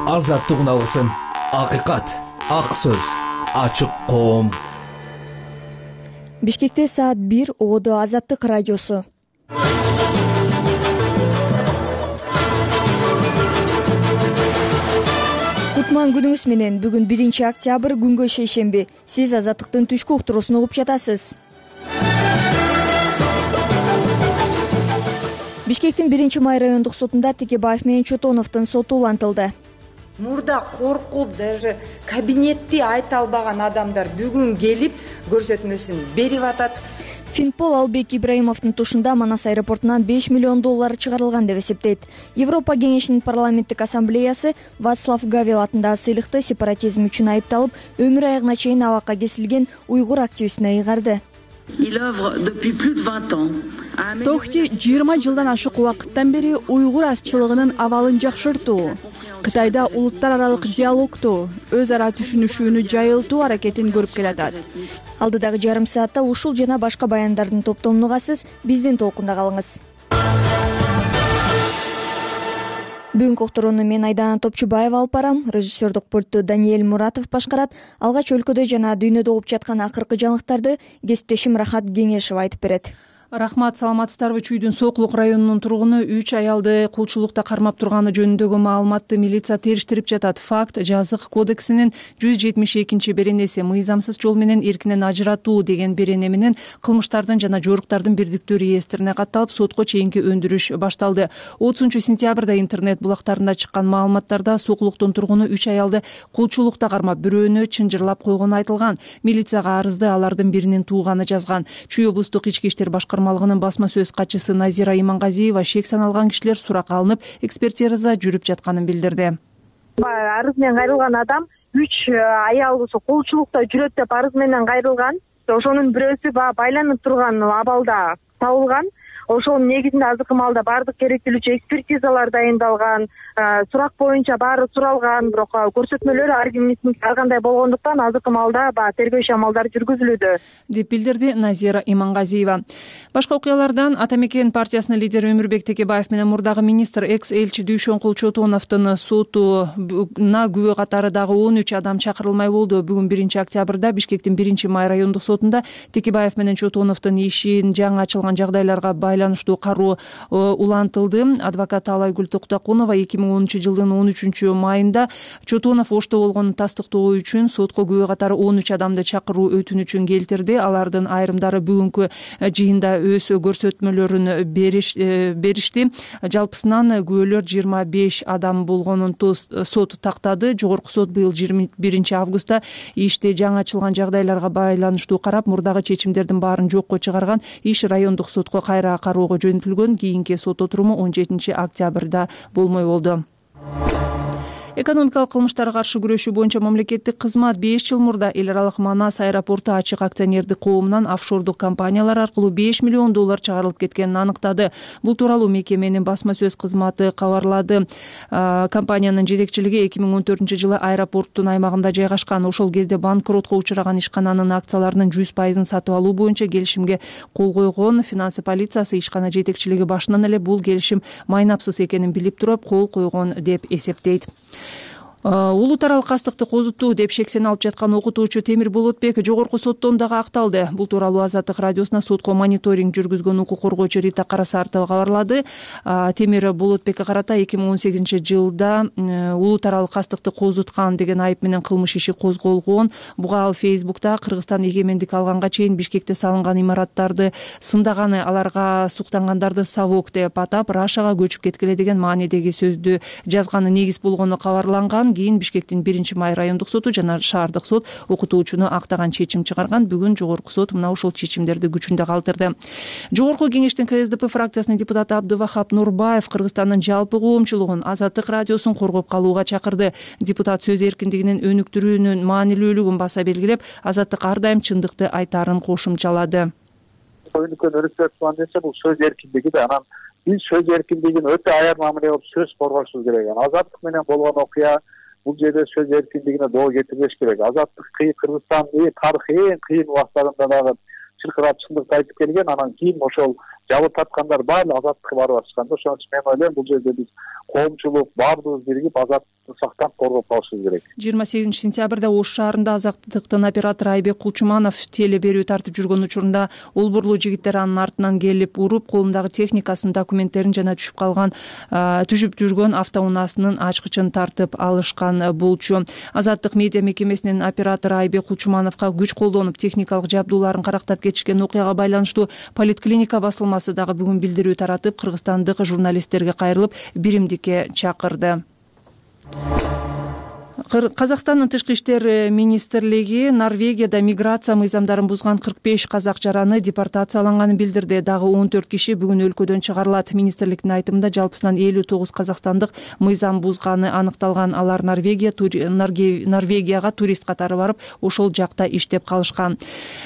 Азаттык алгысын, акыйкат, ак сөз, ачык коом. Бишкекте саат 1 Ободо Азаттык радиосу. Кутман күнүңүз менен. Бүгүн 1-октябрь күнгө шейшемби. Сиз Азаттыктын түшкү уктуруусун угуп жатасыз. Бишкектин 1-май райондук сотунда Текебаев менен Чотоновдун соту улантылды. Мурда коркуп, даже кабинетти айта албаган адамдар бүгүн келип көрсөтмөсүн берип атат. Финпол Албек Ибраимовдун тушунда Манас аэропортунан 5 миллион доллар чыгарылган деп эсептейт. Европа кеңешинин парламенттик ассамблеясы Вацлав Гавел атындагы сыйлыкты сепаратизм үчүн айыпталып, өмүр аягына чейин абакка кесилген уйгур активистине ыйгарды. Тохти 20 жылдан ашык убакыттан бери уйгур азчылыгынын абалын жакшыртуу, Кытайда улуттар аралык диалогту, өз ара түшүнүшүүнү жайылтуу аракетин көрүп келатат. Алдыдагы жарым саатта ушул жана башка баяндардын топтомун угасыз. Биздин толкунда калыңыз. Бүгүнкү уктурууну мен Айдана Топчубаева алып барам. Режиссердук пультту Даниэль Муратов башкарат. Алгач өлкөдө жана дүйнөдө болуп жаткан акыркы жаңылыктарды кесиптешим Рахат Кеңешев айтып берет. Рахмат, саламатсыздарбы? Чүйдүн Сооклук районунун тургуну 3 аялды кулчулукта кармап турганы жөнүндөгү маалыматты милиция териштирип жатат. Факт жазык кодексинин 172-беренеси мыйзамсыз жол менен эркинен ажыратуу деген берене менен кылмыштардын жана жоруктардын бирдиктүү реестрине катталып, сотко чейинки өндүрүш башталды. 30-сентябрда интернет булактарында чыккан маалыматтарда Сооклуктун тургуну 3 аялды кулчулукта кармап, бирөөнү чынжырлап койгону айтылган. Милицияга арызды алардын биринин тууганы жазган. Чүй облустук ички иштер башкармалыгынын басма сөз катчысы Назира Имангазиева шек саналган кишилер суракка алынып, экспертиза жүрүп жатканын билдирди. Арыз менен кайрылган адам 3 аял колчулукта жүрөт деп арыз менен кайрылган. Ошонун бирөөсү байланып турган абалда табылган. Ошонун негизинде азыркы маалда баардык керектүүлүкчө экспертизалар дайындалган, сурак боюнча баары суралган, бирок көрсөтмөлөр ар кимдин ар кандай болгондуктан азыркы маалда тергөө иши-амалдары жүргүзүлүүдө, деп билдирди Назира Имангазиева. Башка окуялардан Ата Мекен партиясынын лидери Өмүрбек Текебаев менен мурдагы министр экс-элчи Дүйшөнкул Чотоновдун сотуна күбө катары дагы 13 адам чакырылмай болду. Бүгүн 1-октябрда Бишкектин 1-май райондук сотунда Текебаев менен Чотоновдун ишин жаңы ачылган жагдайларга байланыштуу кароо улантылды. Адвокат Алайгүл Токтокунова 2010-жылдын 13-майында Чотонов ошто болгонун тастыктоо үчүн сотко күбө катары 13 адамды чакыруу өтүнүчүн келтирди. Алардын айрымдары бүгүнкү жыйында өз көрсөтмөлөрүн беришти. Жалпысынан күбөлөр 25 адам болгонун сот тактады. Жогорку сот быйыл 21-августта ишти жаңы ачылган жагдайларга байланыштуу карап, мурдагы чечимдердин баарын жокко чыгарган. Иш райондук сотко кайра кароого жөнөтүлгөн. Кийинки сот отуруму 17-октябрда болмой болду. Экономикалык кылмыштарга каршы күрөшүү боюнча мамлекеттик кызмат 5 жыл мурда эл аралык Манас аэропорту ачык акционердик коомунан офшордук компаниялар аркылуу 5 миллион доллар чыгарылып кеткенин аныктады. Бул тууралуу мекеменин басма сөз кызматы кабарлады. Компаниянын жетекчилиги 2014-жылы аэропорттун аймагында жайгашкан. Ошол кезде банкротко учураган ишкананын акцияларынын 100% сатып алуу боюнча келишимге кол койгон. Финансы полициясы ишкана жетекчилиги башынан эле бул келишим майнапсыз экенин билип туруп кол койгон деп эсептейт. Улут аралык кастыкты козутуу деп шексен алып жаткан окутуучу Темир Болотбек жогорку соттон дагы акталды. Бул тууралуу Азаттык радиосуна сотко мониторинг жүргүзгөн укук коргоочу Рита Карасартова кабарлады. Темир Болотбекке карата 2018-жылда улут аралык кастыкты козуткан деген айып менен кылмыш иши козголгон. Буга ал Фейсбукта Кыргызстан эгемендик алганга чейин Бишкекте салынган имараттарды сындаганы, аларга суктангандарды совок деп атап, Рашага көчүп кеткиле деген маанидеги сөздү жазганы негиз болгону кабарланган. Кийин Бишкектин 1-май райондук соту жана шаардык сот окутуучуну актаган чечим чыгарган. Бүгүн жогорку сот мына ушул чечимдерди күчүндө калтырды. Жогорку кеңештин КСДП фракциясынын депутаты Абдывахап Нурбаев Кыргызстандын жалпы коомчулугун Азаттык радиосун коргоп калууга чакырды. Депутат сөз эркиндигинин өнүктүрүүнүн маанилүүлүгүн баса белгилеп, Азаттык ар дайым чындыкты айтаарын кошумчалады. Бул сөз эркиндиги да, анан биз сөз эркиндигин өтө аяр мамиле кылып сөз коргошубуз керек. Азаттык менен болгон окуя бул жерде сөз эркиндигине доо кетирбеш керек. Азаттык Кыргызстандын тарыхый эң кыйын убактарында дагы чыркырап чындыкты айтып келген. Анан кийин ошол жабы тарткандар баары азаттыкка барып атышкан да. Ошон үчүн мен ойлойм бул жерде биз коомчулук баардыгыбыз биригип азаттыкты сактап коргоп калышыбыз керек. 28 сентябрда Ош шаарында Азаттыктын оператору Айбек Кулчуманов теле берүү тартып жүргөн учурунда Улбурлуу жигиттер анын артынан келип уруп, колундагы техникасын, документтерин жана түшүп жүргөн автоунаасынын ачкычын тартып алышкан болчу. Азаттык медиа мекемесинин оператору Айбек Кулчумановго күч колдонуп техникалык жабдууларын карактап кетишкен окуяга байланыштуу поликлиника басылмасы дагы бүгүн билдирүү таратып, кыргызстандык журналисттерге кайрылып, биримдикке чакырды. Казакстандын тышкы иштер министрлиги Норвегияда миграция мыйзамдарын бузган 45 казак жараны депортацияланганын билдирди. Дагы 14 киши бүгүн өлкөдөн чыгарылат. Министрликтин айтымында жалпысынан 59 казакстандык мыйзам бузганы аныкталган. Алар Норвегияга турист катары барып, ошол жакта иштеп калышкан.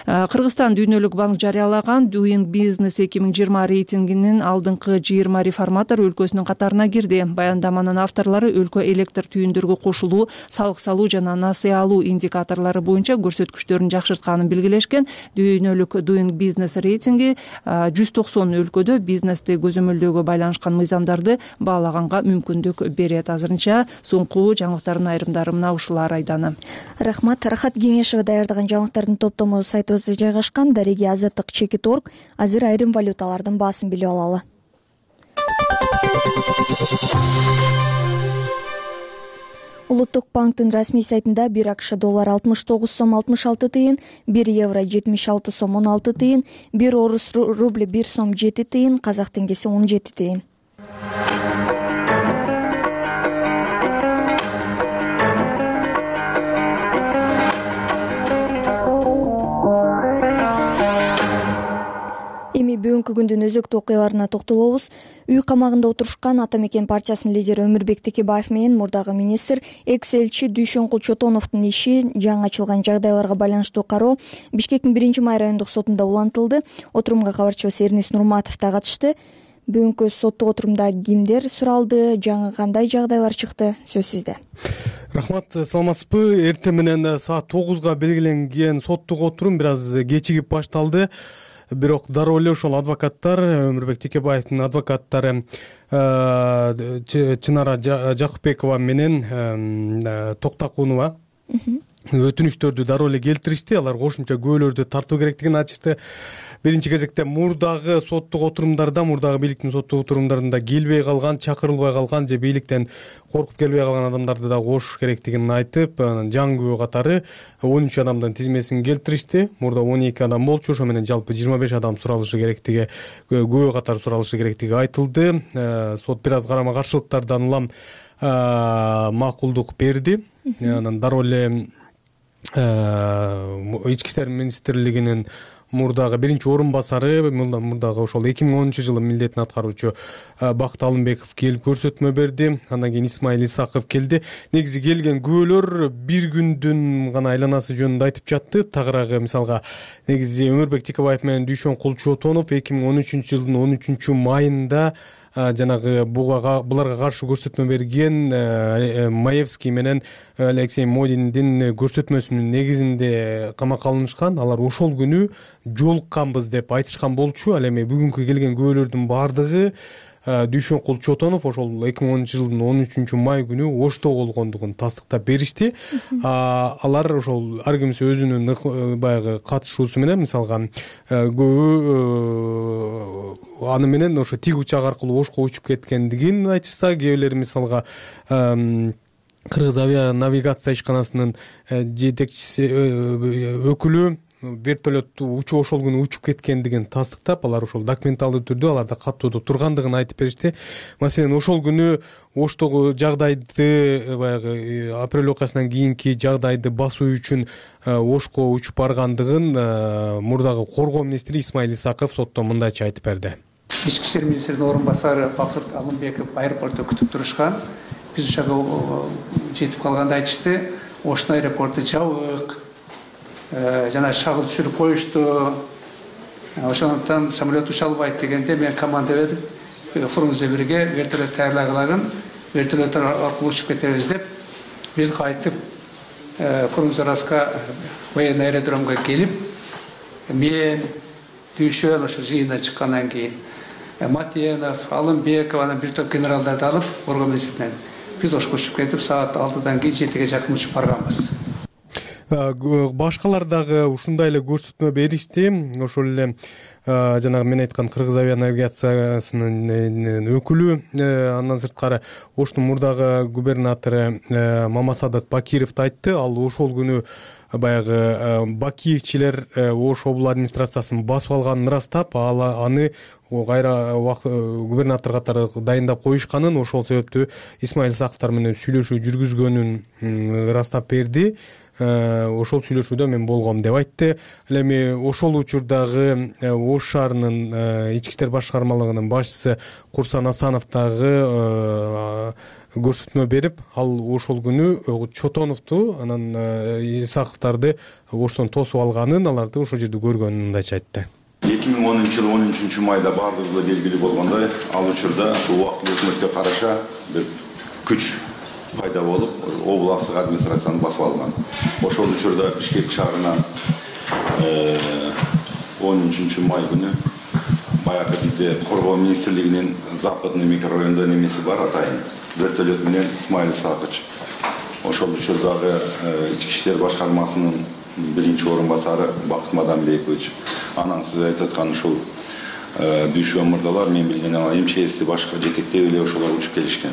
Кыргызстан Дүйнөлүк банк жарыялаган Doing Business 2020 рейтингинин алдыңкы 20 реформатор өлкөсүнүн катарына кирди. Баяндаманын авторлору өлкө электр түйүндөргө кошулуу, салык салуу жана насыя алуу индикаторлору боюнча көрсөткүчтөрүн жакшыртканын белгилешкен. Дүйнөлүк Doing Business рейтинги 190 өлкөдө бизнести көзөмөлдөөгө байланышкан мыйзамдарды баалаганга мүмкүндүк берет. Азырынча соңку жаңылыктардын айрымдары мына ушулар айданы. Рахмат. Рахат Кеңешева даярдаган жаңылыктардын топтому сайтыбызда жайгашкан. Дареге Азаттык Чекит.орг. Азыр айрым валюталардын баасын билип алалы. Улуттук банктын расмий сайтында 1 АКШ доллар 69 сом 66 тыйын, 1 евро 76 сом 16 тыйын, 1 орус рубли 1 сом 7 тыйын, казак теңгеси 17 тыйын. Эми бүгүнкү күндүн өзөктүү окуяларына токтолобуз. Үй камагында отурушкан Ата Мекен партиясынын лидери Өмүрбек Текебаев менен мурдагы министр экс-элчи Дүйшөнкул Чотоновдун иши жаңы ачылган жагдайларга байланыштуу кароо Бишкектин 1-май райондук сотунда улантылды. Отурумга кабарчыбыз Эрнис Нурматов да катышты. Бүгүнкү соттук отурумда кимдер суралды, жаңы кандай жагдайлар чыкты? Сөз сизде. Рахмат, саламатсызбы? Эртең менен саат 9-га белгиленген соттук отурум бир аз кечигип башталды. Бирок дароо эле ошол адвокаттар, Өмүрбек Текебаевдин адвокаттары Чынара Жакыпбекова менен Токтакунова өтүнүштөрдү дароо эле келтиришти. Алар кошумча күбөлөрдү тартуу керектигин айтышты. Биринчи кезекте мурдагы соттук отурумдарда, мурдагы бийликтин соттук отурумдарында келбей калган, чакырылбай калган же бийликтен коркуп келбей калган адамдарды да кошуш керектигин айтып, жаңы күбө катары 13 адамдын тизмесин келтиришти. Мурда 12 адам болчу, ошо менен жалпы 25 адам суралышы керектиги, күбө катары суралышы керектиги айтылды. Сот бир аз карама каршылыктардан улам макулдук берди. Анан дароо эле Ички иштер министрлигинин мурдагы биринчи орун басары, мурдагы ошол 2010-жылы милдетин аткаруучу Бакыт Алымбеков келип көрсөтмө берди. Андан кийин Исмаил Исаков келди. Негизи келген күбөлөр бир күндүн гана айланасы жөнүндө айтып жатты. Тагыраагы мисалга негизи Өмүрбек Текебаев менен Дүйшөнкул Чотонов 2013-жылдын 13-майында жанагы буларга каршы көрсөтмө берген Маевский менен Алексей Модиндин көрсөтмөсүнүн негизинде камакка алынышкан. Алар ошол күнү жолукканбыз деп айтышкан болчу. Ал эми бүгүнкү келген күбөлөрдүн баардыгы Дүйшөнкул Чотонов ошол 2010-жылдын 13-май күнү Ошто болгондугун тастыктап беришти. Алар ошол ар кимси өзүнүн баягы катышуусу менен, мисалга аны менен ошо тиг учак аркылуу Ошко учуп кеткендигин айтышса, кээ бирлери мисалга Кыргыз авианавигация ишканасынын жетекчиси өкүлү вертолетту ошол күнү учуп кеткендигин тастыктап, алар ошол документалдуу түрдө аларда каттоодо тургандыгын айтып беришти. Маселен, ошол күнү Оштогу жагдайды, баягы апрель окуясынан кийинки жагдайды басуу үчүн Ошко учуп баргандыгын мурдагы коргоо министри Исмаил Исаков сотто мындайча айтып берди. Ички иштер министринин орун басары Бакыт Алымбеков аэропортто күтүп турушкан. Биз ошого жетип калганда айтышты, Ошто аэропорту жабык, жана шагыл түшүрүп коюшту, ошондуктан самолет уча албайт дегенде мен команда берип, Фрунзе бирге вертолет даярлагылагын, вертолет аркылуу учуп кетебиз деп, биз кайтып Фрунзе Раска военный аэродромго келип, мен Дүйшөн ошо жыйына чыккандан кийин Матенов, Алымбеков, анан бир топ генералдарды алып Борго министрлигинен биз Ошко учуп кетип, саат 6-дан кийин 7-ге жакын учуп барганбыз. Башкалар дагы ушундай эле көрсөтмө беришти. Ошол эле жанагы мен айткан Кыргыз авианавигациянын өкүлү, андан сырткары Оштун мурдагы губернатору Мамасадык Бакиров айтты. Ал ошол күнү баягы Бакиевчилер Ош обул администрациясын басып алганын ырастап, аны кайра губернатор катары дайындап коюшканын, ошол себептүү Исмаил Исаковдор менен сүйлөшүү жүргүзгөнүн ырастап берди. Ошол сүйлөшүүдө мен болгом деп айтты. Ал эми ошол учурдагы Ош шаарынын ички иштер башкармалыгынын башчысы Курсан Асанов дагы көрсөтмө берип, ал ошол күнү Чотоновду, анан Исаковдорду Оштон тосуп алганын, аларды ошол жерде көргөнүн мындайча айтты. 2010-жылы 13 майда бардыгы белгилүү болгондой, ал учурда ушу убактылуу өкмөткө караша бир күч пайда болуп, областык администрацияны басып алган. Ошол учурда Бишкек шаарынан 13 май күнү баягы бизде Коргоо министрлигинин западный микрорайондо немеси бар, атайын вертолет менен Исмаил Исакович. Ошол учурдагы ички иштер башкармасынын биринчи орун басары Бакыт Мадамбекович. Анан сиз айтып аткан ушул Дүйшөн мырзалар, мен билген МЧСти башка жетектеп эле ошолор учуп келишкен.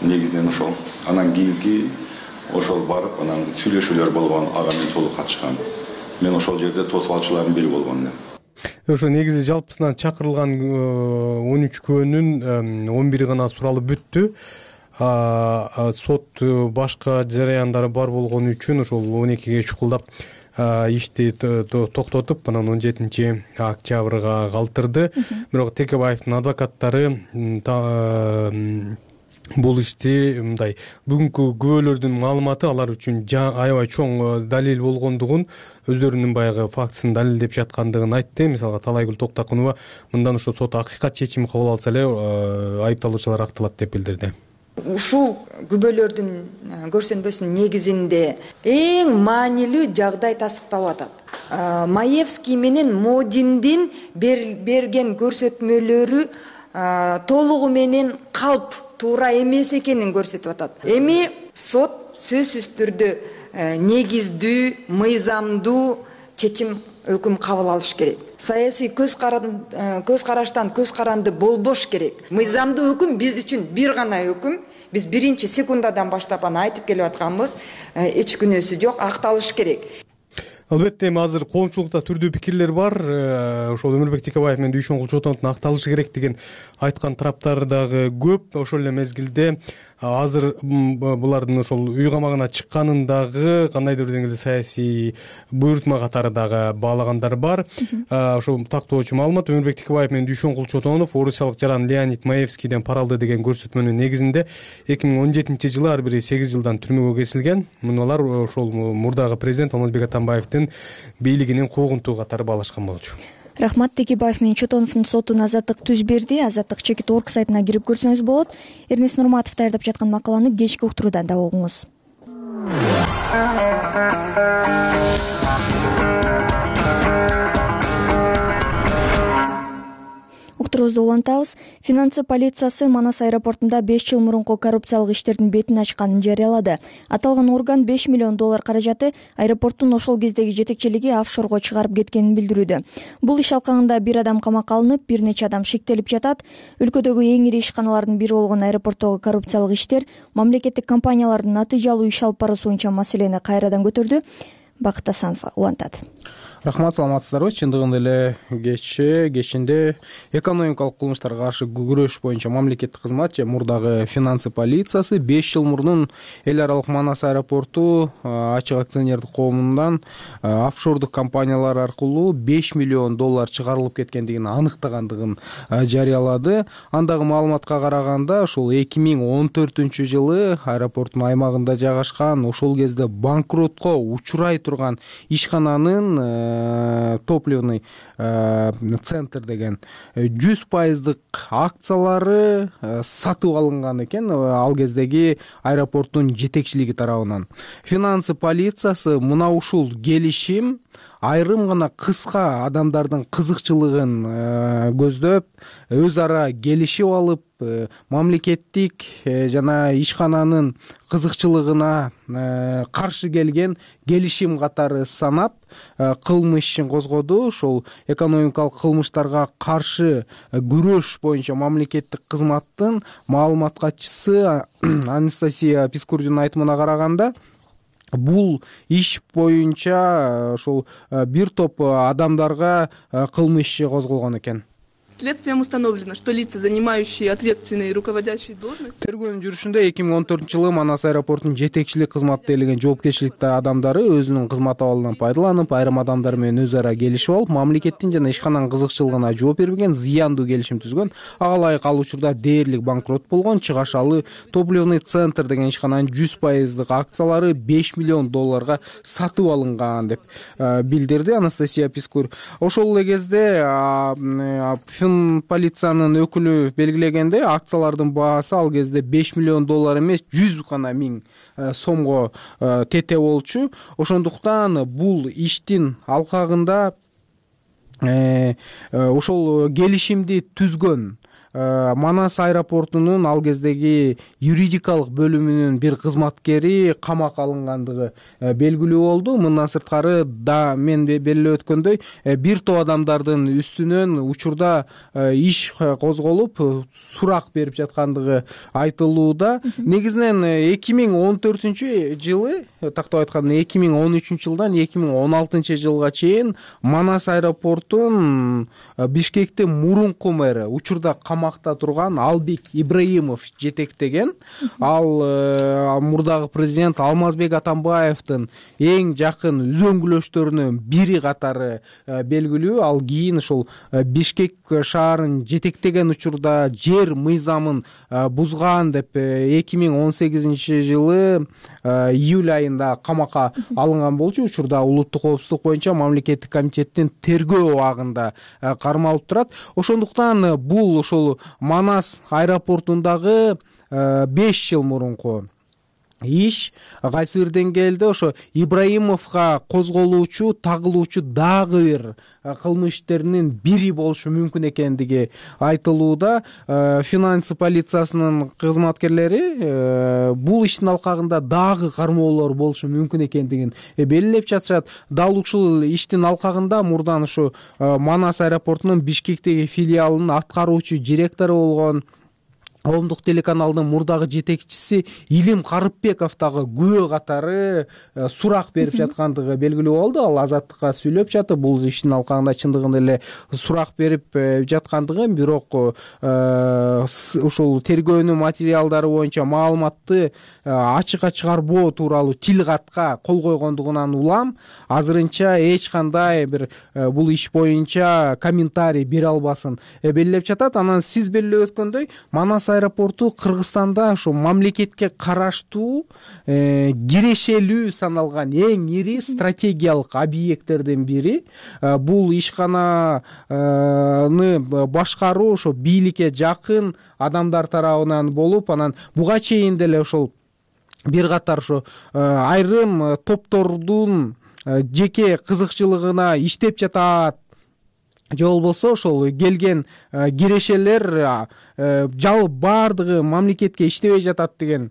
Негизинен ошол. Анан кийинки ошол барып, анан сүйлөшүүлөр болгон, ага мен толук катышкан. Мен ошол жерде тосуп алчылардын бири болгон элем. Ошо негизи жалпысынан чакырылган 13 күбөнүн 11 гана суралып бүттү. Сот башка жараяндары бар болгон үчүн ошол 12ге чукулдап ишти токтотуп, анан 17 октябрга калтырды. Бирок Текебаевдин адвокаттары бул ишти мындай бүгүнкү күбөлөрдүн маалыматы алар үчүн аябай чоң далил болгондугун, өздөрүнүн баягы фактысын далилдеп жаткандыгын айтты. Мисалга Талайгүл Токтакунова мындан ошо сот акыйкат чечими кабыл алса эле айыпталуучулар акталат деп билдирди. Ушул күбөлөрдүн көрсөтмөсүнүн негизинде эң маанилүү жагдай тастыкталып атат. Маевский менен Модиндин берген көрсөтмөлөрү толугу менен калп туура эмес экенин көрсөтүп атат. Эми сот сөзсүз түрдө негиздүү, мыйзамдуу чечим, өкүм кабыл алыш керек. Саясий көз караштан көз каранды болбош керек. Мыйзамдуу өкүм биз үчүн бир гана өкүм. Биз биринчи секундадан баштап аны айтып келип атканбыз. Эч күнөөсү жок, акталыш керек. Албетте эми азыр коомчулукта түрдүү пикирлер бар. Ошол Өмүрбек Текебаев менен Дүйшөн Чотоновдун акталышы керек деген айткан тараптар дагы көп. Ошол эле мезгилде азыр булардын ошол үй камагына чыкканын дагы кандайдыр бир деңгээлде саясий буйрутма катары дагы баалагандар бар. Ошол тактоочу маалымат: Өмүрбек Текебаев менен Дүйшөн Чотонов орусиялык жаран Леонид Маевскийден пара алды деген көрсөтмөнүн негизинде 2017 жылы ар бири 8 жылдан түрмөгө кесилген. Мунулар ошол мурдагы президент Алмазбек Атамбаевдин бийлигинин куугунтугу катары баалашкан болчу. Рахмат. Текебаев менен Чотоновдун сотуна азаттык түз берди. Азаттык Чекит.org сайтына кирип көрсөңүз болот. Эрнест Нурматов даярдап жаткан макаланы кечки уктуруудан да угуңуз. Уктуруубузду улантабыз. Финансы полициясы Манас аэропортунда 5 жыл мурунку коррупциялык иштердин бетин ачканын жарыялады. Аталган орган $5 миллион каражаты аэропорттун ошол кездеги жетекчилиги офшорго чыгарып кеткенин билдирүүдө. Бул иш алкагында бир адам камакка алынып, бир нече адам шектелип жатат. Өлкөдөгү эң ири ишканалардын бири болгон аэропорттогу коррупциялык иштер мамлекеттик компаниялардын натыйжалуу иш алып баруусу боюнча маселени кайрадан көтөрдү. Бакыт Асанов улантат. Рахмат, саламатсыздарбы? Чындыгында эле кечинде экономикалык кылмыштарга каршы күрөш боюнча мамлекеттик кызмат же мурдагы финансы полициясы 5 жыл мурун эл аралык Манас аэропорту ачык акционердик коомундан офшордук компаниялар аркылуу $5 миллион чыгарылып кеткендигин аныктагандыгын жарыялады. Андагы маалыматка караганда, ошол 2014 жылы аэропорттун аймагында жайгашкан, ошол кезде банкротко учурай турган ишкананын топливный центр деген 100% акциялары сатып алынган экен ал кездеги аэропорттун жетекчилиги тарабынан. Финансы полициясы мына ушул келишим айрым гана кыска адамдардын кызыкчылыгын көздөп өз ара келишип алып мамлекеттик жана ишкананын кызыкчылыгына каршы келген келишим катары санап кылмыш ишин козгоду. Ошол экономикалык кылмыштарга каршы күрөш боюнча мамлекеттик кызматтын маалымат катчысы Анастасия Пискурдун айтымына караганда, бул иш боюнча ошол бир топ адамдарга кылмыш иши козголгон экен. Следствием установлено, что лица, занимающие ответственные руководящие должности. Тергөөнүн жүрүшүндө 2014-жылы Манас аэропортунун жетекчилик кызматты ээлеген жоопкерчиликтеги адамдары өзүнүн кызмат абалынан пайдаланып, айрым адамдар менен өз ара келишип алып, мамлекеттин жана ишкананын кызыкчылыгына жооп бербеген, зыяндуу келишим түзгөн. Ага ылайык ал учурда дээрлик банкрот болгон. Чыгашалы топливный центр деген ишкананын 100% акциялары $5 миллион сатып алынган деп билдирди Анастасия Пискур. Ошол эле кезде полициянын өкүлү белгилегенде, акциялардын баасы ал кезде $5 миллион эмес, 100 миң сомго тете болчу. Ошондуктан бул иштин алкагында ошол келишимди түзгөн Манас аэропортунун ал кездеги юридикалык бөлүмүнүн бир кызматкери камакка алынгандыгы белгилүү болду. Мындан сырткары да мен белгилеп өткөндөй бир топ адамдардын үстүнөн учурда иш козголуп, сурак берип жаткандыгы айтылууда. Негизинен 2014-жылы, тактап айтканда 2013-жылдан 2016-жылга чейин Манас аэропортун Бишкектин мурунку мэри, учурда камакта турган Албек Ибраимов жетектеген. Ал мурдагы президент Алмазбек Атамбаевдин эң жакын үзөңгүлөштөрүнүн бири катары белгилүү. Ал кийин ошол Бишкек шаарын жетектеген учурда жер мыйзамын бузган деп 2018-жылы июль айында камакка алынган болчу. Учурда улуттук коопсуздук боюнча мамлекеттик комитеттин тергөө абагында кармалып турат. Ошондуктан бул ошол Манас аэропортундагы 5 жыл мурунку иш кайсы бир деңгээлде ошо Ибраимовго козголуучу, тагылуучу дагы бир кылмыш иштеринин бири болушу мүмкүн экендиги айтылууда. Финансы полициясынын кызматкерлери бул иштин алкагында дагы кармоолор болушу мүмкүн экендигин белгилеп жатышат. Дал ушул иштин алкагында мурдан ушу Манас аэропортунун Бишкектеги филиалынын аткаруучу директору болгон Коомдук телеканалдын мурдагы жетекчиси Илим Карыпбеков дагы күбө катары сурак берип жаткандыгы белгилүү болду. Ал Азаттыкка сүйлөп жатып, бул иштин алкагында чындыгында эле сурак берип жаткандыгын, бирок ушул тергөөнүн материалдары боюнча маалыматты ачыкка чыгарбоо тууралуу тил катка кол койгондугунан улам азырынча эч кандай бир бул иш боюнча комментарий бере албасын белгилеп жатат. Анан сиз белгилеп өткөндөй, Манас аэропорту Кыргызстанда ошо мамлекетке караштуу кирешелүү саналган эң ири стратегиялык объекттердин бири. Бул ишкананы башкаруу ошо бийликке жакын адамдар тарабынан болуп, анан буга чейин деле ошол бир катар ошо айрым топтордун жеке кызыкчылыгына иштеп жатат. Же болбосо ошол келген кирешелер жалпы баардыгы мамлекетке иштебей жатат деген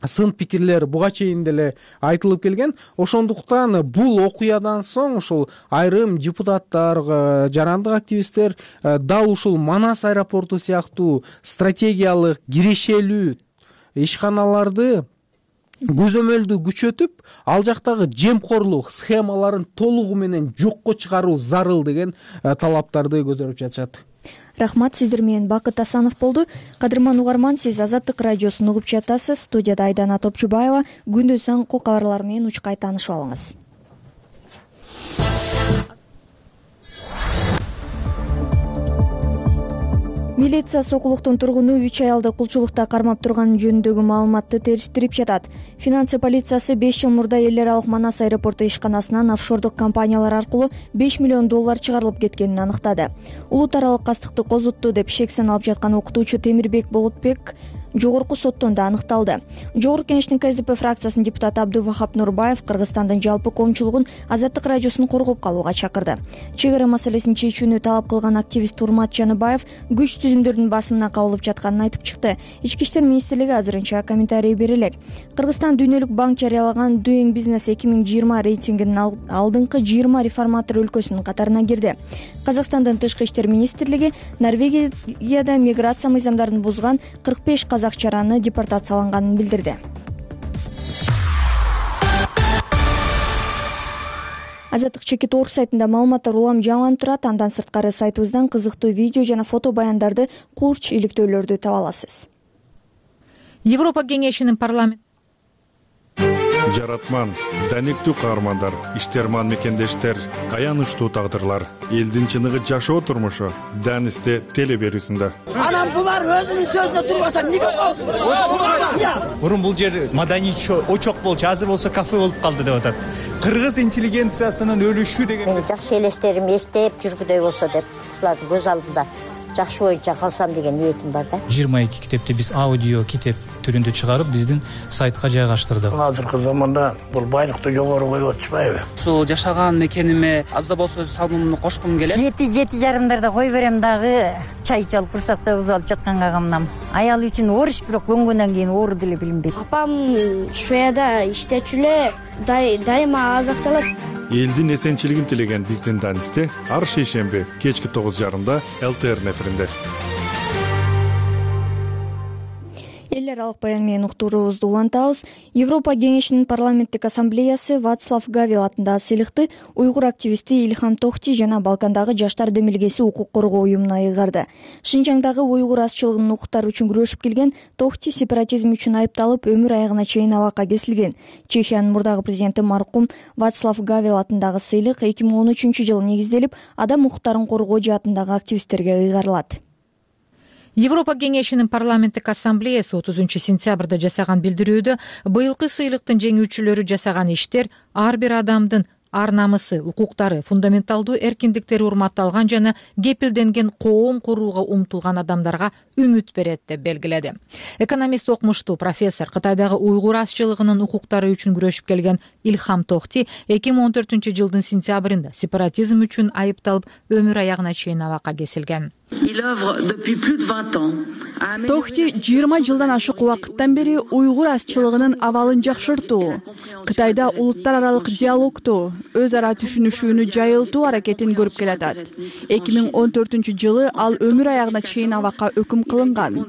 сын пикирлер буга чейин деле айтылып келген. Ошондуктан бул окуядан соң ошол айрым депутаттар, жарандык активисттер дал ушул Манас аэропорту сыяктуу стратегиялык кирешелүү ишканаларды көзөмөлдү күчөтүп, ал жактагы жемкорлук схемаларын толугу менен жокко чыгаруу зарыл деген талаптарды көтөрүп жатышат. Рахмат, сиздер менен Бакыт Асанов болду. Кадырман угарман, сиз Азаттык радиосун угуп жатасыз. Студияда Айдана Топчубаева. Күндүн соңку кабарлар менен учкай таанышып алыңыз. Милиция Сокулуктун тургуну 3 аялды кулчулукта кармап турганы жөнүндөгү маалыматты териштирип жатат. Финансы полициясы 5 жыл мурда эл аралык Манас аэропорту ишканасынан офшордук компаниялар аркылуу $5 миллион чыгарылып кеткенин аныктады. Улут аралык кастыкты козутту деп шек саналып жаткан окутуучу Темирбек Болотбек жогорку соттон да аныкталды. Жогорку Кеңештин КСДП фракциясынын депутаты Абдувахап Нурбаев Кыргызстандын жалпы коомчулугун Азаттык радиосун коргоп калууга чакырды. Чек ара маселесин чечүүнү талап кылган активист Турмат Жаныбаев күч түзүмдөрдүн басымына кабылып жатканын айтып чыкты. Ички иштер министрлиги азырынча комментарий бере элек. Кыргызстан Дүйнөлүк банк жарыялаган Doing Business 2020 рейтингинин алдыңкы 20 реформатор өлкөсүнүн катарына кирди. Казакстандын тышкы иштер министрлиги Норвегияда миграция мыйзамдарын бузган 45 казакчараны депортацияланганын билдирди. Азаттык чекит орг сайтында маалыматтар улам жаңыланып турат. Андан сырткары сайтыбыздан кызыктуу видео жана фото баяндарды, курч иликтөөлөрдү таба аласыз. Европа кеңешинин парламент жаратман, даниктүү каармандар, иштерман мекендештер, аянычтуу тагдырлар, элдин чыныгы жашоо турмушу Данисте теле берүүсүндө. Анан булар өзүнүн сөзүнө турбаса эмнеге коесуз? Мурун бул жер маданий очок болчу, азыр болсо кафе болуп калды деп атат. Кыргыз интеллигенциясынын өлүшү деген. Мени жакшы элестерим эстеп жүргүдөй болсо деп, булардын көз алдында жакшы боюнча калсам деген ниетим бар да. 22 китепти биз аудио китеп түрүндө чыгарып, биздин сайтка жайгаштырдык. Азыркы заманда бул байлыкты жогору коюп атышпайбы? Ушул жашаган мекениме аз да болсо өз салымымды кошкум келет. 7-7:30 кой берем дагы чай чалып курсакта бузуп алып жатканга камнам. Аял үчүн ориш, бирок көнгөндөн кийин оору деле билинбейт. Апам Шведияда иштечү эле, дайыма азак чалат. Элдин эсенчилигин тилеген биздин Данисте ар шейшемби кечки 9:30 ЛТР эфиринде. Эл аралык баян менен уктуруубузду улантабыз. Европа кеңешинин парламенттик ассамблеясы Вацлав Гавел атындагы сыйлыкты уйгур активисти Ильхам Тохти жана Балкандагы жаштар демилгеси укук коргоо уюмуна ыйгарды. Шинжаңдагы уйгур азчылыгынын укуктары үчүн күрөшүп келген Тохти сепаратизм үчүн айыпталып, өмүр аягына чейин абакка кесилген. Чехиянын мурдагы президенти маркум Вацлав Гавел атындагы сыйлык 2013-жылы негизделип, адам укуктарын коргоо жаатындагы активисттерге ыйгарылат. Европа кеңешинин парламенттик ассамблеясы 30-сентябрда жасаган билдирүүдө быйылкы сыйлыктын жеңүүчүлөрү жасаган иштер ар бир адамдын ар намысы, укуктары, фундаменталдуу эркиндиктери урматталган жана кепилденген коом курууга умтулган адамдарга үмүт берет деп белгиледи. Экономист окумуштуу профессор, Кытайдагы уйгур азчылыгынын укуктары үчүн күрөшүп келген Ильхам Тохти 2014-жылдын сентябрында сепаратизм үчүн айыпталып, өмүр аягына чейин абакка кесилген. Тохти 20 жылдан ашык убакыттан бери уйгур азчылыгынын абалын жакшыртуу, Кытайда улуттар аралык диалогту, өз ара түшүнүшүүнү жайылтуу аракетин көрүп келатат. 2014-жылы ал өмүр аягына чейин абакка өкүм кылынган.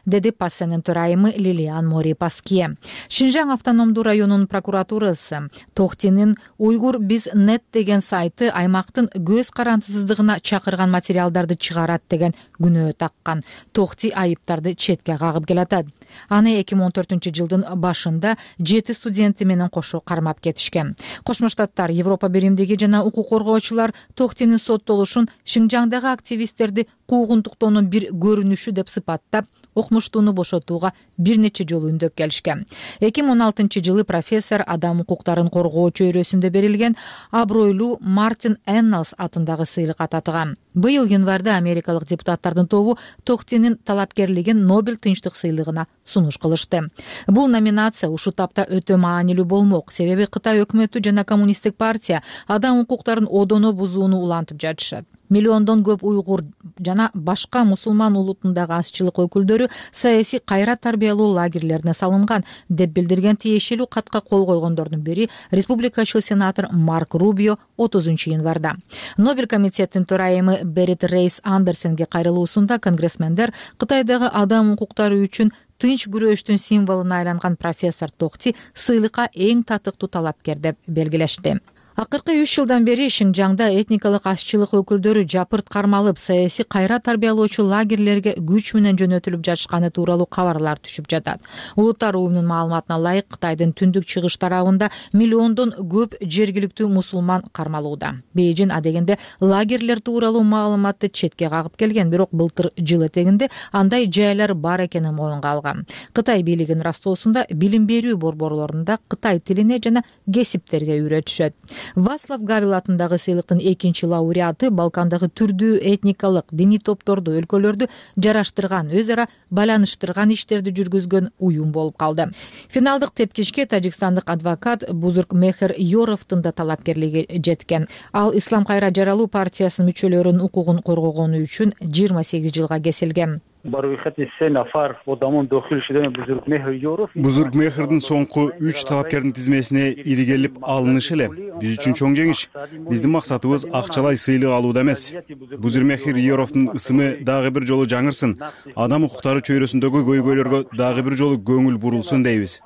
Деди Пассенин төрайымы Лилиан Мори Паские. Шинжаң автономдуу районунун прокуратурасы Тохтинин Уйгур Биз Нет деген сайты аймактын көз карандысыздыгына чакырган материалдарды чыгарат деген күнөө таккан. Тохти айыптарды четке кагып келатат. Аны 2014-жылдын башында 7 студенти менен кошо кармап кетишкен. Кошмо Штаттар, Европа биримдиги жана укук коргоочулар Тохтинин соттолушун Шинжаңдагы активисттерди куугунтуктоонун бир көрүнүшү деп сыпаттап, окумуштууну бошотууга бир нече жолу үндөп келишкен. 2016-жылы профессор адам укуктарын коргоо чөйрөсүндө берилген абройлуу Мартин Эннелс атындагы сыйлык ататыган. Быйыл январда америкалык депутаттардын тобу Тохтинин талапкерлигин Нобель тынчтык сыйлыгына сунуш кылышты. Бул номинация ушул тапта өтө маанилүү болмок, себеби Кытай өкмөтү жана коммунисттик партия адам укуктарын одоно бузууну улантып жатышат. Миллиондон көп уйгур жана башка мусулман улутундагы азчылык өкүлдөрү саясий кайра тарбиялоо лагерлерине салынган деп билдирген тиешелүү катка кол койгондордун бири республикачыл сенатор Марк Рубио 30-январда. Нобель комитетинин төрайымы Берит Рейс Андерсенге кайрылуусунда конгрессмендер Кытайдагы адам укуктары үчүн тынч күрөштүн символуна айланган профессор Тохти сыйлыкка эң татыктуу талапкер деп белгилешти. Акыркы 3 жылдан бери Шинжаңда этникалык азчылык өкүлдөрү жапырт кармалып, саясий кайра тарбиялоочу лагерлерге күч менен жөнөтүлүп жатышканы тууралуу кабарлар түшүп жатат. Улуттар уюмунун маалыматына ылайык, Кытайдын түндүк чыгыш тарабында миллиондон көп жергиликтүү мусулман кармалууда. Бейжин адегенде лагерлер тууралуу маалыматты четке кагып келген, бирок былтыр жыл этегинде андай жайлар бар экенин моюнга алган. Кытай бийлигинин растоосунда билим берүү борборлорунда Кытай тилине жана кесиптерге үйрөтүшөт. Вацлав Гавел атындагы сыйлыктын экинчи лауреаты Балкандагы түрдүү этникалык, диний топторду, өлкөлөрдү жараштырган, өз ара байланыштырган иштерди жүргүзгөн уюм болуп калды. Финалдык тепкичке тажикстандык адвокат Бузургмехер Йоровдун да талапкерлиги жеткен. Ал Ислам кайра жаралуу партиясынын мүчөлөрүнүн укугун коргогону үчүн 28 жылга кесилген. Бузургмехердин соңку 3 талапкердин тизмесине иригелип алынышы эле биз үчүн чоң жеңиш. Биздин максатыбыз акчалай сыйлык алуу эмес. Бузургмехер Йоровдун ысымы дагы бир жолу жаңырсын, адам укуктары чөйрөсүндөгү көйгөйлөргө дагы бир жолу көңүл бурулсун дейбиз.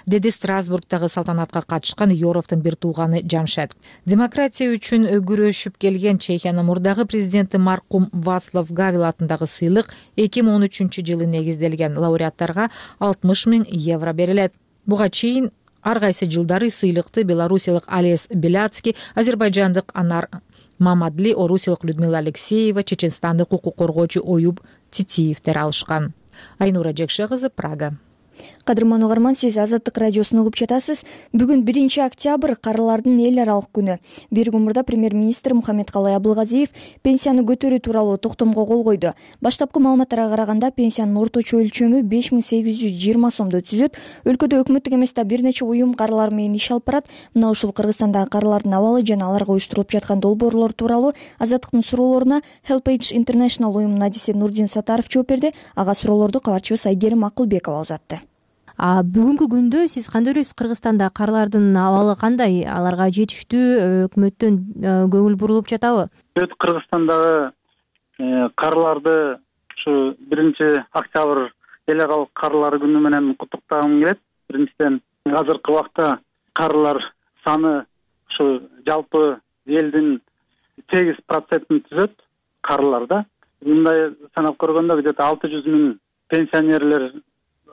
Деди Страсбургдагы салтанатка катышкан Йоровдун бир тууганы Жамшед. Демократия үчүн күрөшүп келген Чехиянын мурдагы президенти маркум Вацлав Гавел атындагы сыйлык 2013-жылы негизделген. Лауреаттарга 60 000 евро берилет. Буга чейин ар кайсы жылдары сыйлыкты белорусиялык Алес Беляцкий, азербайжандык Анар Мамадли, орусиялык Людмила Алексеева, чеченстандык укук коргоочу Оюб Титиевдер алышкан. Айнура Жекше кызы, Прага. Кадырман угарман, сиз Азаттык радиосун угуп жатасыз. Бүгүн 1 октябрь карылардын эл аралык күнү. Бир күн мурда премьер-министр Мухаммедкалый Абылгазиев пенсияны көтөрүү тууралуу токтомго кол койду. Баштапкы маалыматтарга караганда пенсиянын орточо өлчөмү 5820 сомду түзөт. Өлкөдө өкмөттүк эмес да бир нече уюм карылар менен иш алып барат. Мына ушул Кыргызстандагы карылардын абалы жана аларга уюштурулуп жаткан долбоорлор тууралуу Азаттыктын суроолоруна Helpage International уюмунун адиси Нурдин Сатаров жооп берди. Ага суроолорду кабарчыбыз Айгерим Акылбекова узатты. Бүгүнкү күндө сиз кандай ойлойсуз? Кыргызстанда карылардын абалы кандай? Аларга жетиштүү өкмөттөн көңүл бурулуп жатабы? Кыргызстандагы карыларды ушу 1 октябрь эл аралык карылар күнү менен куттуктагым келет. Биринчиден, азыркы убакта карылар саны ушу жалпы элдин 8% түзөт карыларда. Мындай санап көргөндө где-то 600 000 пенсионерлер.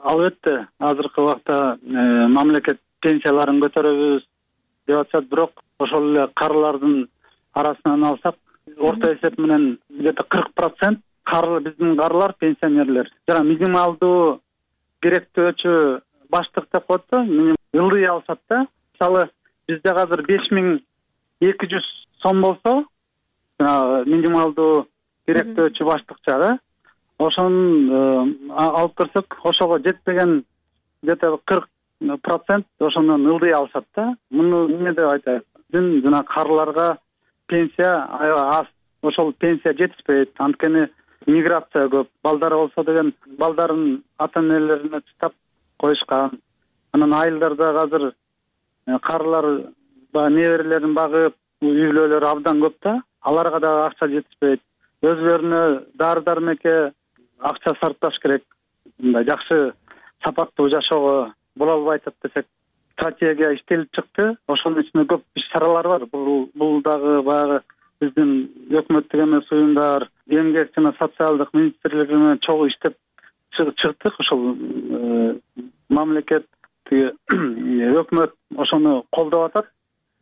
Албетте, азыркы убакта мамлекет пенсияларын көтөрөбүз деп атышат, бирок ошол эле карылардын арасынан алсак, орто эсеп менен где-то 40% биздин карылар пенсионерлер. Жана минималдуу керектөөчү баштык деп коет да, ылдый алышат да. Мисалы, бизде азыр 5200 сом болсо, минималдуу керектөөчү баштыкча да. Ошонун алып көрсөк, ошого жетпеген где-то 40% ошондон ылдый алышат да. Муну эмне деп айтайын? Биздин жана карыларга пенсия аз. Ошол пенсия жетишпейт. Анткени миграция көп. Балдары болсо деген балдарын ата-энелерине чыдап коюшкан. Анан айылдарда азыр карылар неберелерин багып, үй-бүлөлөр абдан көп да. Аларга да акча жетишпейт. Өзлөрүнө дары-дармекке акча сарпташ керек. Мындай жакшы сапаттуу жашоого боло албай атат десек, стратегия иштелип чыкты. Ошонун ичинде көп иш-чаралар бар. Бул дагы баягы биздин өкмөттүк эмес уюмдар, эмгек жана социалдык министрлиги менен чогуу иштеп чыктык. Ошол мамлекет, өкмөт ошону колдоп атат.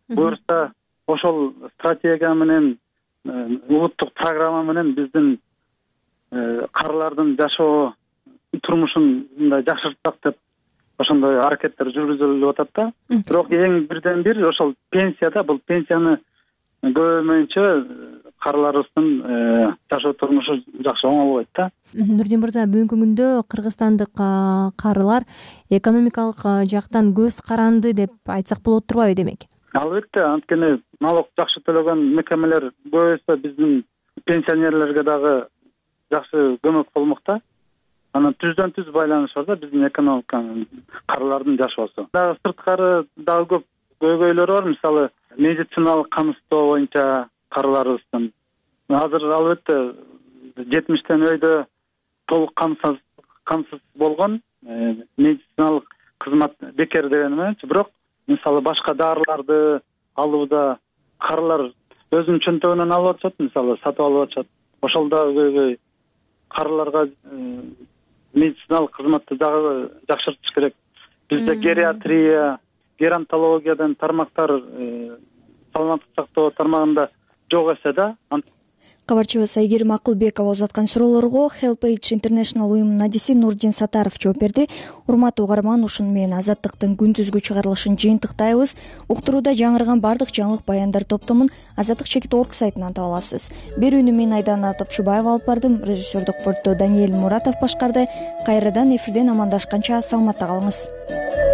Буюрса, ошол стратегия менен, улуттук программа менен биздин карылардын жашоо турмушун мындай жакшыртсак деп ошондой аракеттер жүргүзүлүп атат да. Бирок эң бирден бир ошол пенсияда, бул пенсияны көбөймөйүнчө карыларыбыздын жашоо турмушу жакшы оңолбойт да. Нурдин мырза, бүгүнкү күндө кыргызстандык карылар экономикалык жактан көз каранды деп айтсак болот турбайбы демек? Албетте, анткени налог жакшы төлөгөн мекемелер көбөйсө биздин пенсионерлерге дагы жакшы көмөк болмок да. Анан түздөн-түз байланыш бар да биздин экономиканын, карылардын жашоосу. Дагы сырткары дагы көп көйгөйлөр бар. Мисалы, медициналык камсыздоо боюнча карыларыбыздын азыр албетте 70тен өйдө толук камсыз болгон, медициналык кызмат бекер деген эменчи. Бирок мисалы башка дарыларды алууда карылар өзүнүн чөнтөгүнөн алып атышат, мисалы сатып алып атышат. Ошол дагы көйгөй. Карыларга медициналык кызматты дагы жакшыртыш керек. Бизде гериатрия, геронтологиядан тармактар саламаттык сактоо тармагында жок эсе да. Кабарчыбыз Айгерим Акылбекова узаткан суроолорго Help Age International уюмунун адиси Нурдин Сатаров жооп берди. Урматтуу угарман, ушуну менен Азаттыктын күндүзгү чыгарылышын жыйынтыктайбыз. Уктурууда жаңырган бардык жаңылык баяндар топтомун Азаттык.org сайтынан таба аласыз. Берүүнү мен Айдана Топчубаева алып бардым. Режиссердук пультто Даниэль Муратов башкарды. Кайрадан эфирден амандашканча саламатта калыңыз.